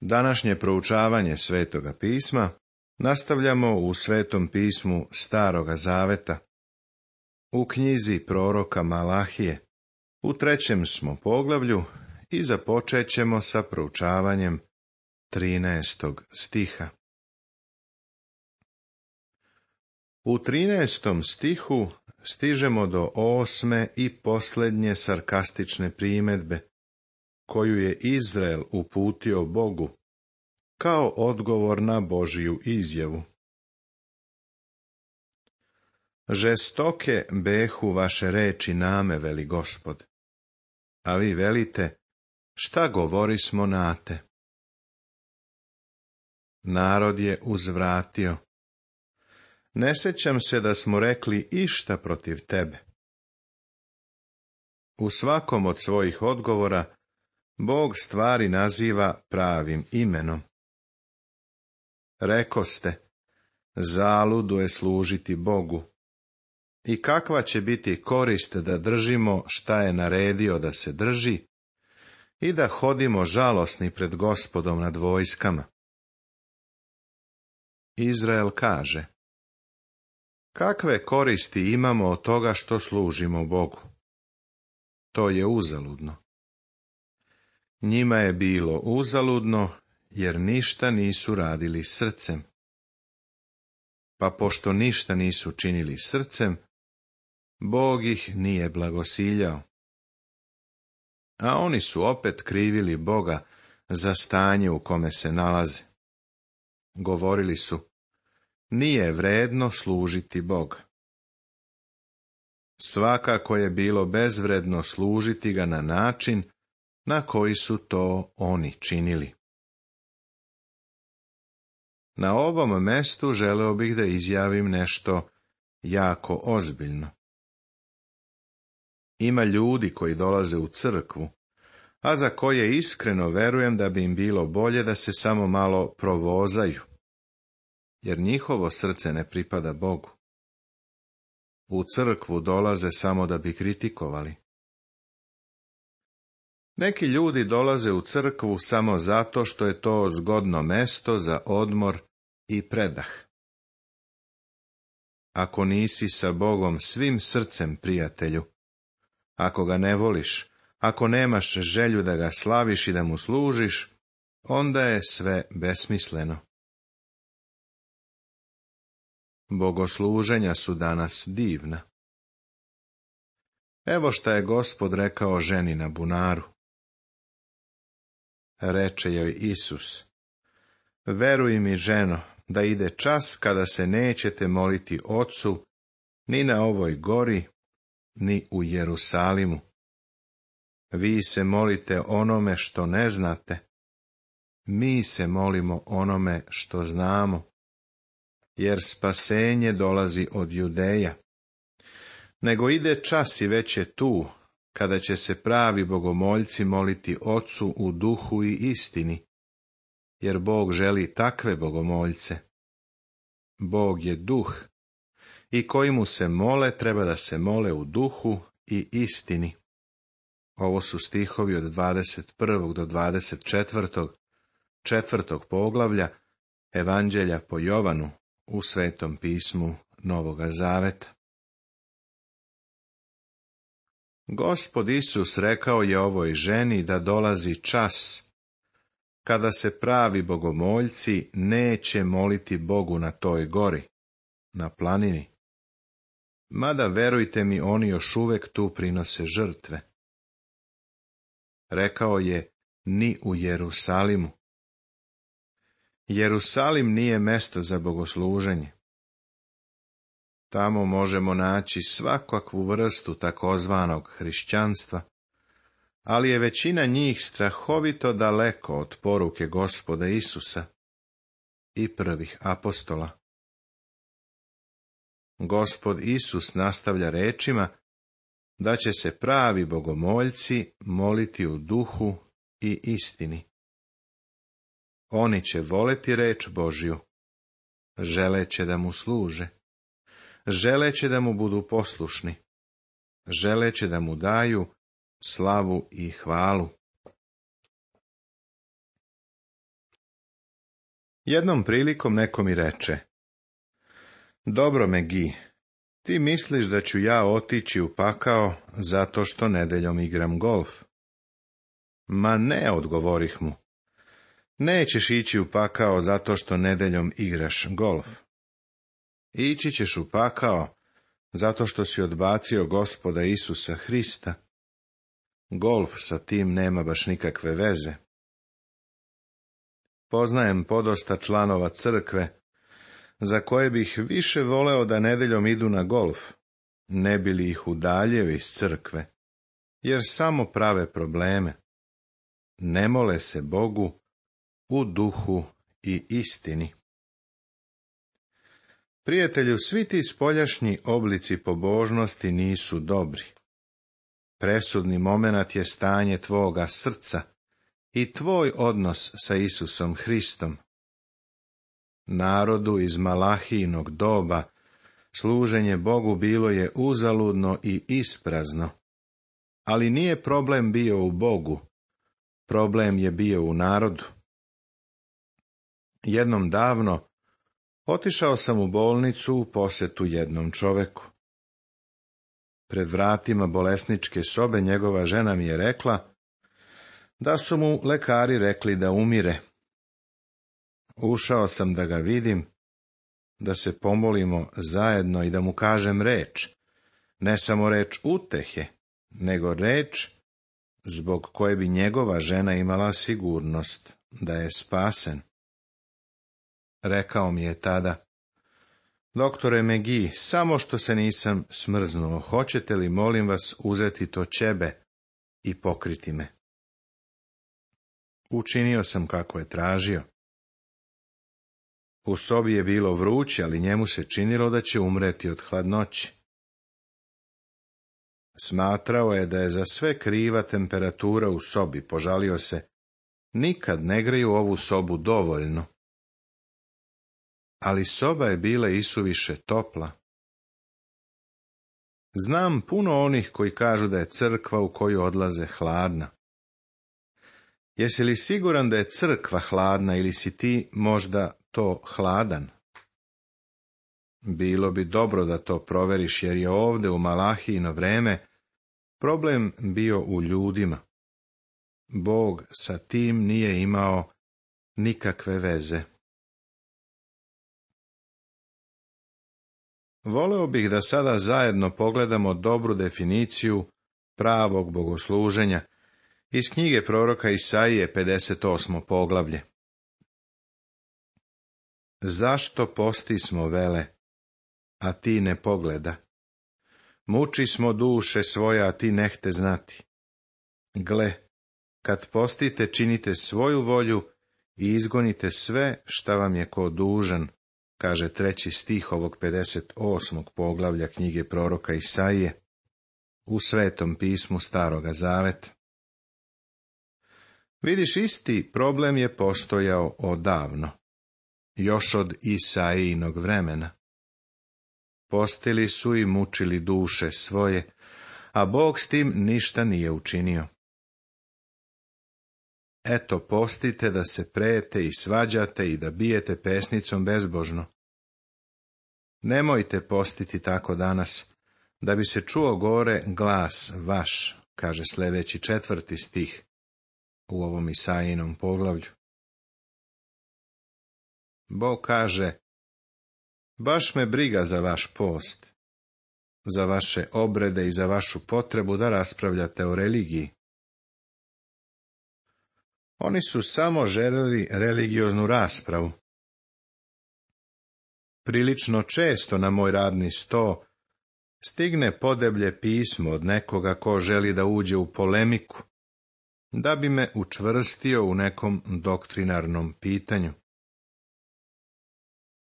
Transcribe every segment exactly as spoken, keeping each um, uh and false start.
Današnje proučavanje Svetoga pisma nastavljamo u Svetom pismu Staroga zaveta. U knjizi proroka Malahije, u trećem smo poglavlju i započet ćemo sa proučavanjem trinaestog stiha. U trinaestom stihu stižemo do osme i posljednje sarkastične primjedbe, koju je Izrael uputio Bogu, kao odgovor na Božju izjavu. Žestoke behu vaše reči name, veli Gospod, a vi velite, šta govorismo nate? Narod je uzvratio, ne sjećam se da smo rekli išta protiv tebe. U svakom od svojih odgovora Bog stvari naziva pravim imenom. Rekoste, zaludo je služiti Bogu. I kakva će biti korist da držimo šta je naredio da se drži i da hodimo žalosni pred Gospodom nad vojskama? Izrael kaže, kakve koristi imamo od toga što služimo Bogu? To je uzaludno. Njima je bilo uzaludno, jer ništa nisu radili srcem. Pa pošto ništa nisu činili srcem, Bog ih nije blagosiljao. A oni su opet krivili Boga za stanje u kome se nalaze. Govorili su, nije vredno služiti Boga. Svakako je bilo bezvredno služiti ga na način na koji su to oni činili. Na ovom mestu želeo bih da izjavim nešto jako ozbiljno. Ima ljudi koji dolaze u crkvu, a za koje iskreno verujem da bi im bilo bolje da se samo malo provozaju, jer njihovo srce ne pripada Bogu. U crkvu dolaze samo da bi kritikovali. Neki ljudi dolaze u crkvu samo zato što je to zgodno mesto za odmor i predah. Ako nisi sa Bogom svim srcem, prijatelju, ako ga ne voliš, ako nemaš želju da ga slaviš i da mu služiš, onda je sve besmisleno. Bogosluženja su danas divna. Evo šta je Gospod rekao ženi na bunaru. Reče joj Isus, veruj mi, ženo, da ide čas kada se nećete moliti Ocu ni na ovoj gori, ni u Jerusalimu. Vi se molite onome što ne znate, mi se molimo onome što znamo, jer spasenje dolazi od Judeja. Nego ide čas i već je tu, kada će se pravi bogomoljci moliti Ocu u duhu i istini, jer Bog želi takve bogomoljce. Bog je duh, i koji mu se mole treba da se mole u duhu i istini. Ovo su stihovi od dvadeset prvog do dvadeset četvrtog četvrtog poglavlja Evanđelja po Jovanu u Svetom pismu Novoga zaveta. Gospod Isus rekao je ovoj ženi da dolazi čas kada se pravi bogomoljci neće moliti Bogu na toj gori, na planini. Mada, verujte mi, oni još uvek tu prinose žrtve. Rekao je, ni u Jerusalimu. Jerusalim nije mesto za bogosluženje. Tamo možemo naći svakakvu vrstu takozvanog hrišćanstva, ali je većina njih strahovito daleko od poruke Gospoda Isusa i prvih apostola. Gospod Isus nastavlja rečima da će se pravi bogomoljci moliti u duhu i istini. Oni će voleti reč Božju, želeće da mu služe, želeće da mu budu poslušni, želeće da mu daju slavu i hvalu. Jednom prilikom neko mi reče: Dobro, Megi, ti misliš da ću ja otići u pakao zato što nedeljom igram golf? Ma ne, odgovorih mu. Nećeš ići u pakao zato što nedeljom igraš golf. Ići ćeš u pakao zato što si odbacio Gospoda Isusa Hrista. Golf sa tim nema baš nikakve veze. Poznajem podosta članova crkve, za koje bih više voleo da nedeljom idu na golf, ne bi li ih udaljio iz crkve, jer samo prave probleme. Ne mole se Bogu u duhu i istini. Prijatelju, svi ti spoljašnji oblici pobožnosti nisu dobri. Presudni momenat je stanje tvoga srca i tvoj odnos sa Isusom Hristom. Narodu iz Malahijinog doba služenje Bogu bilo je uzaludno i isprazno, ali nije problem bio u Bogu, problem je bio u narodu. Jednom davno otišao sam u bolnicu u posjetu jednom čoveku. Pred vratima bolesničke sobe njegova žena mi je rekla da su mu lekari rekli da umire. Ušao sam da ga vidim, da se pomolimo zajedno i da mu kažem reč, ne samo reč utehe, nego reč zbog koje bi njegova žena imala sigurnost da je spasen. Rekao mi je tada: Doktore Megi, samo što se nisam smrznuo, hoćete li, molim vas, uzeti to ćebe i pokriti me? Učinio sam kako je tražio. U sobi je bilo vruće, ali njemu se činilo da će umreti od hladnoće. Smatrao je da je za sve kriva temperatura u sobi, požalio se: nikad ne greju ovu sobu dovoljno. Ali soba je bila isuviše topla. Znam puno onih koji kažu da je crkva u koju odlaze hladna. Jesi li siguran da je crkva hladna ili si ti možda to hladan? Bilo bi dobro da to proveriš, jer je ovdje u Malahijino vreme problem bio u ljudima. Bog sa tim nije imao nikakve veze. Voleo bih da sada zajedno pogledamo dobru definiciju pravog bogosluženja iz knjige proroka Isaije, pedeset osmo poglavlje. Zašto postismo, vele, a ti ne pogleda? Muči smo duše svoje, a ti nehte znati. Gle, kad postite, činite svoju volju i izgonite sve šta vam je ko dužan, kaže treći stih ovog pedeset osmog poglavlja knjige proroka Isaije u Svetom pismu Staroga Zaveta. Vidiš, isti problem je postojao odavno, još od Isaijinog vremena. Postili su i mučili duše svoje, a Bog s tim ništa nije učinio. Eto, postite da se prete i svađate i da bijete pesnicom bezbožno. Nemojte postiti tako danas, da bi se čuo gore glas vaš, kaže sljedeći četvrti stih u ovom Isaijinom poglavlju. Bog kaže: baš me briga za vaš post, za vaše obrede i za vašu potrebu da raspravljate o religiji. Oni su samo željeli religioznu raspravu. Prilično često na moj radni sto stigne podeblje pismo od nekoga ko želi da uđe u polemiku, da bi me učvrstio u nekom doktrinarnom pitanju.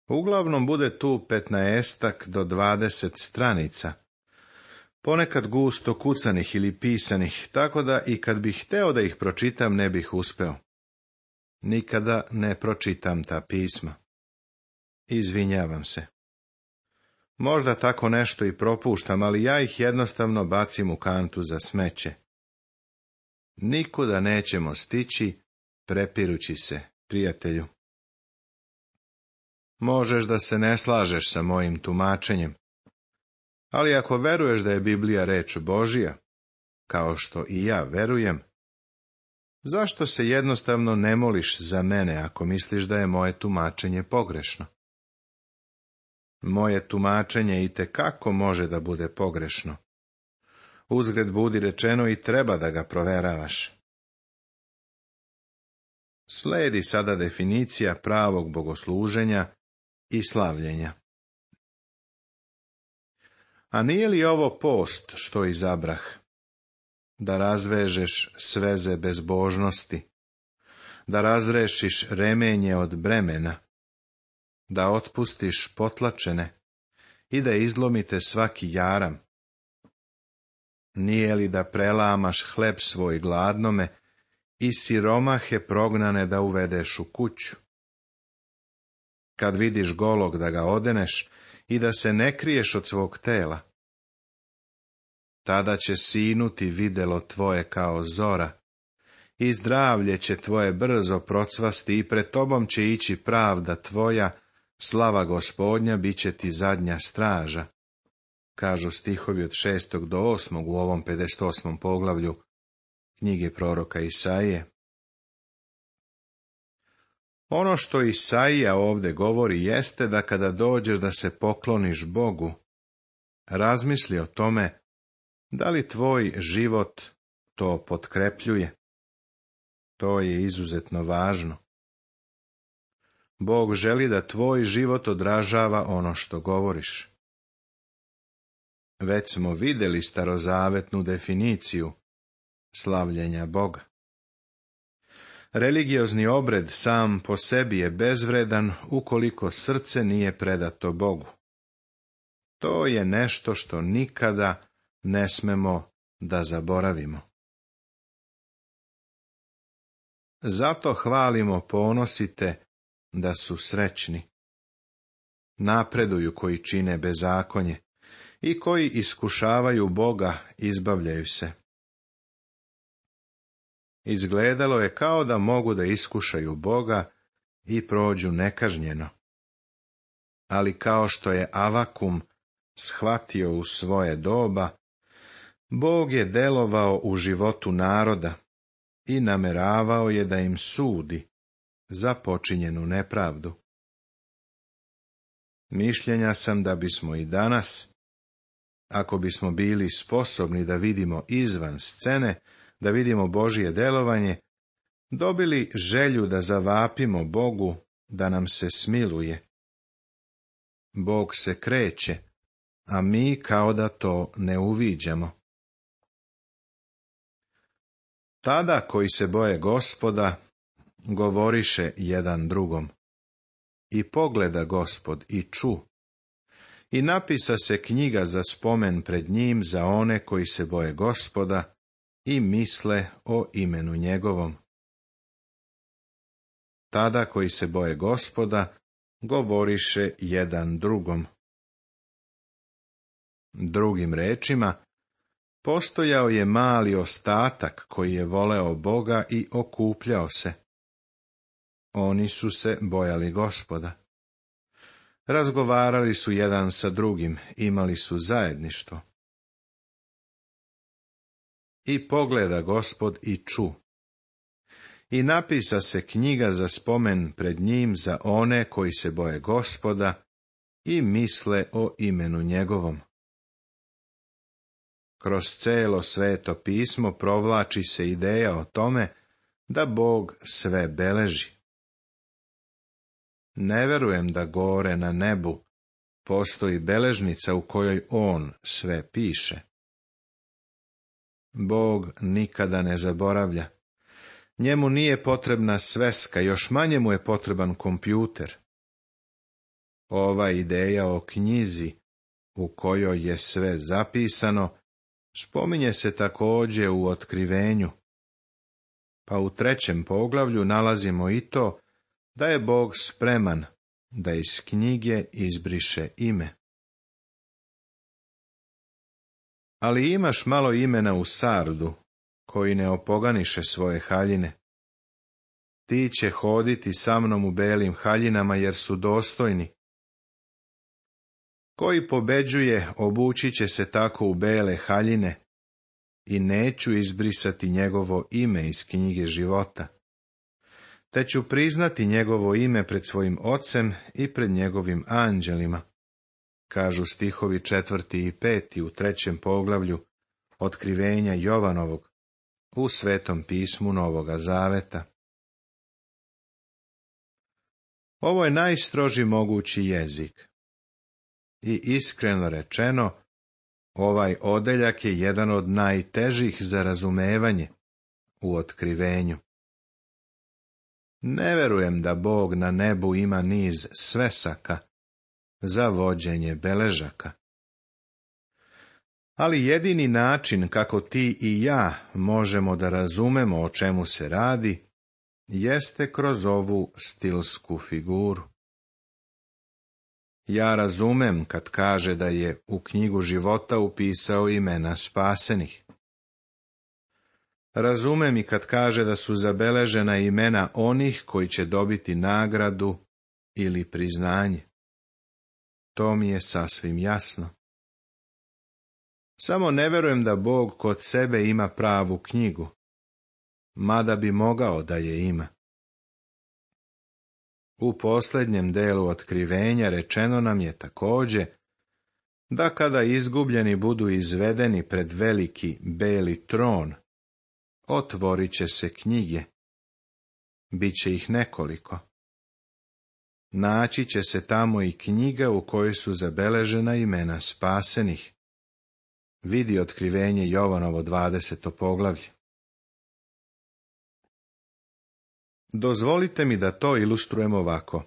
Uglavnom bude tu petnaestak do dvadeset stranica, ponekad gusto kucanih ili pisanih, tako da i kad bih hteo da ih pročitam ne bih uspeo. Nikada ne pročitam ta pisma. Izvinjavam se. Možda tako nešto i propuštam, ali ja ih jednostavno bacim u kantu za smeće. Nikuda nećemo stići, prepirući se, prijatelju. Možeš da se ne slažeš sa mojim tumačenjem, ali ako veruješ da je Biblija reč Božja, kao što i ja verujem, zašto se jednostavno ne moliš za mene ako misliš da je moje tumačenje pogrešno? Moje tumačenje itekako može da bude pogrešno. Uzgred budi rečeno i treba da ga proveravaš. Sledi sada definicija pravog bogosluženja i slavljenja. A nije li ovo post što izabrah? Da razvežeš sveze bezbožnosti, da razrešiš remenje od bremena, da otpustiš potlačene i da izlomite svaki jaram. Nije li da prelamaš hleb svoj gladnome i siromahe prognane da uvedeš u kuću? Kad vidiš golog da ga odeneš i da se ne kriješ od svog tela, tada će sinuti videlo tvoje kao zora, i zdravlje će tvoje brzo procvasti i pred tobom će ići pravda tvoja, slava Gospodnja bit će ti zadnja straža, kažu stihovi od šestog do osmog u ovom pedeset osmom poglavlju knjige proroka Isaije. Ono što Isaija ovdje govori jeste da kada dođeš da se pokloniš Bogu, razmisli o tome da li tvoj život to potkrepljuje. To je izuzetno važno. Bog želi da tvoj život odražava ono što govoriš. Već smo vidjeli starozavetnu definiciju slavljenja Boga. Religiozni obred sam po sebi je bezvredan ukoliko srce nije predato Bogu. To je nešto što nikada ne smemo da zaboravimo. Zato hvalimo, ponosite da su srećni. Napreduju koji čine bezakonje i koji iskušavaju Boga, izbavljaju se. Izgledalo je kao da mogu da iskušaju Boga i prođu nekažnjeno. Ali kao što je Avakum shvatio u svoje doba, Bog je delovao u životu naroda i nameravao je da im sudi za počinjenu nepravdu. Mišljenja sam da bismo i danas, ako bismo bili sposobni da vidimo izvan scene, da vidimo Božje delovanje, dobili želju da zavapimo Bogu da nam se smiluje. Bog se kreće, a mi kao da to ne uviđamo. Tada koji se boje Gospoda, govoriše jedan drugom. I pogleda Gospod i ču. I napisa se knjiga za spomen pred njim za one koji se boje Gospoda i misle o imenu njegovom. Tada koji se boje Gospoda, govoriše jedan drugom. Drugim rečima, postojao je mali ostatak koji je voleo Boga i okupljao se. Oni su se bojali Gospoda. Razgovarali su jedan sa drugim, imali su zajedništvo. I pogleda Gospod i ču. I napisa se knjiga za spomen pred njim za one koji se boje Gospoda i misle o imenu njegovom. Kroz celo Sveto pismo provlači se ideja o tome da Bog sve beleži. Ne verujem da gore na nebu postoji beležnica u kojoj on sve piše. Bog nikada ne zaboravlja. Njemu nije potrebna sveska, još manje mu je potreban kompjuter. Ova ideja o knjizi u kojoj je sve zapisano spominje se također u Otkrivenju. Pa u trećem poglavlju nalazimo i to da je Bog spreman da iz knjige izbriše ime. Ali imaš malo imena u Sardu, koji ne opoganiše svoje haljine. ti će hoditi sa mnom u belim haljinama, jer su dostojni. Koji pobeđuje, obući će se tako u bele haljine, i neću izbrisati njegovo ime iz knjige života. Te ću priznati njegovo ime pred svojim ocem i pred njegovim anđelima, kažu stihovi četvrti i peti u trećem poglavlju Otkrivenja Jovanovog u Svetom pismu Novoga Zaveta. Ovo je najstroži mogući jezik. I iskreno rečeno, ovaj odeljak je jedan od najtežih za razumevanje u otkrivenju. Ne verujem da Bog na nebu ima niz svesaka za vođenje beležaka. Ali jedini način kako ti i ja možemo da razumemo o čemu se radi, jeste kroz ovu stilsku figuru. Ja razumem kad kaže da je u knjigu života upisao imena spasenih. Razumem i kad kaže da su zabeležena imena onih koji će dobiti nagradu ili priznanje. To mi je sasvim jasno. Samo ne verujem da Bog kod sebe ima pravu knjigu, mada bi mogao da je ima. U posljednjem delu otkrivenja rečeno nam je također da kada izgubljeni budu izvedeni pred veliki beli tron, otvorit će se knjige. Biće ih nekoliko. Naći će se tamo i knjiga u kojoj su zabeležena imena spasenih. Vidi Otkrivenje Jovanovo dvadeseto poglavlje. Dozvolite mi da to ilustrujem ovako.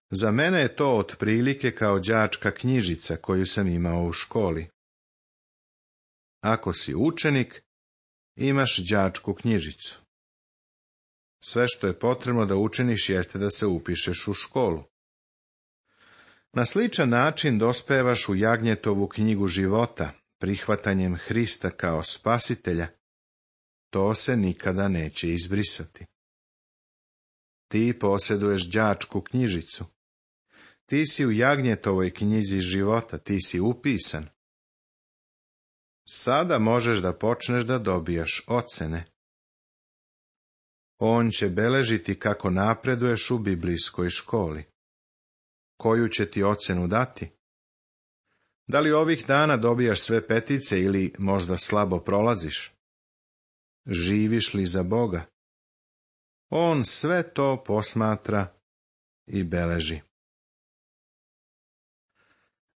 Za mene je to otprilike kao đačka knjižica koju sam imao u školi. Ako si učenik, imaš đačku knjižicu. Sve što je potrebno da učiniš jeste da se upišeš u školu. Na sličan način dospevaš u Jagnjetovu knjigu života, prihvatanjem Hrista kao spasitelja. To se nikada neće izbrisati. Ti posjeduješ đačku knjižicu. Ti si u Jagnjetovoj knjizi života, ti si upisan. Sada možeš da počneš da dobijaš ocene. On će beležiti kako napreduješ u biblijskoj školi. Koju će ti ocenu dati? Da li ovih dana dobijaš sve petice ili možda slabo prolaziš? Živiš li za Boga? On sve to posmatra i beleži.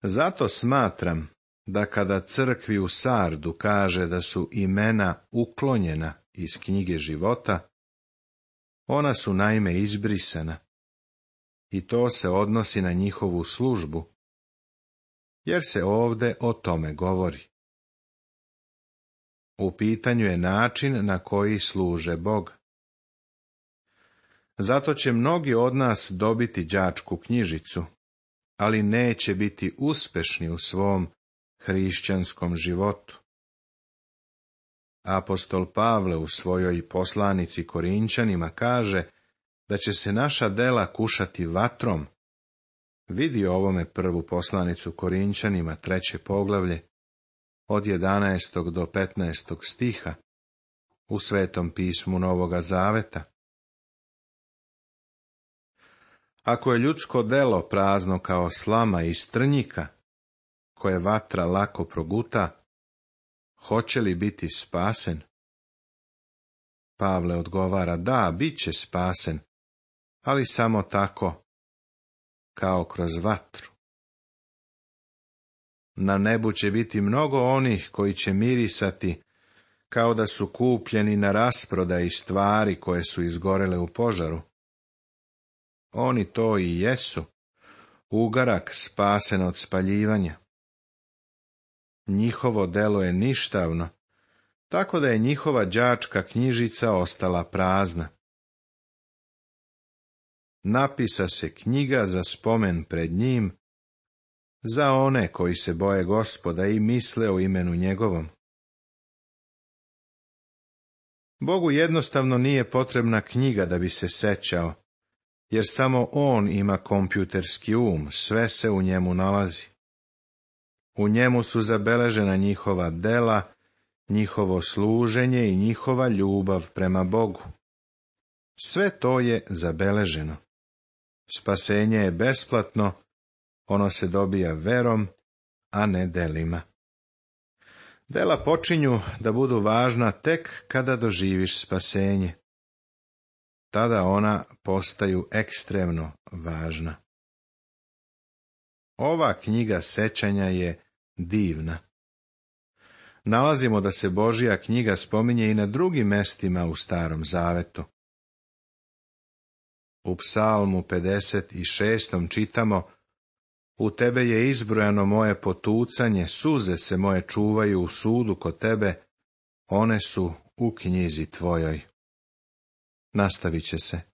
Zato smatram da kada crkvi u Sardu kaže da su imena uklonjena iz knjige života, ona su naime izbrisana, i to se odnosi na njihovu službu, jer se ovde o tome govori. U pitanju je način na koji služe Boga. Zato će mnogi od nas dobiti đačku knjižicu, ali neće biti uspešni u svom hrišćanskom životu. Apostol Pavle u svojoj poslanici Korinčanima kaže da će se naša dela kušati vatrom. Vidi ovome prvu poslanicu Korinčanima, treće poglavlje, od jedanaestog do petnaestog stiha, u Svetom pismu Novoga Zaveta. Ako je ljudsko delo prazno kao slama iz trnjika, koje vatra lako proguta, hoće li biti spasen? Pavle odgovara, da, bit će spasen, ali samo tako, kao kroz vatru. Na nebu će biti mnogo onih koji će mirisati kao da su kupljeni na rasprodaji stvari koje su izgorele u požaru. Oni to i jesu, ugarak spasen od spaljivanja. Njihovo delo je ništavno, tako da je njihova đačka knjižica ostala prazna. Napisa se knjiga za spomen pred njim, za one koji se boje Gospoda i misle o imenu njegovom. Bogu jednostavno nije potrebna knjiga da bi se sećao, jer samo on ima kompjuterski um, sve se u njemu nalazi. U njemu su zabeležena njihova dela, njihovo služenje i njihova ljubav prema Bogu. Sve to je zabeleženo. Spasenje je besplatno, ono se dobija verom, a ne delima. Dela počinju da budu važna tek kada doživiš spasenje. Tada ona postaju ekstremno važna. Ova knjiga sećanja je divna. Nalazimo da se Božja knjiga spominje i na drugim mestima u Starom Zavetu. U Psalmu pedeset šestom čitamo: U tebe je izbrojano moje potucanje, suze se moje čuvaju u sudu kod tebe, one su u knjizi tvojoj. Nastavit će se.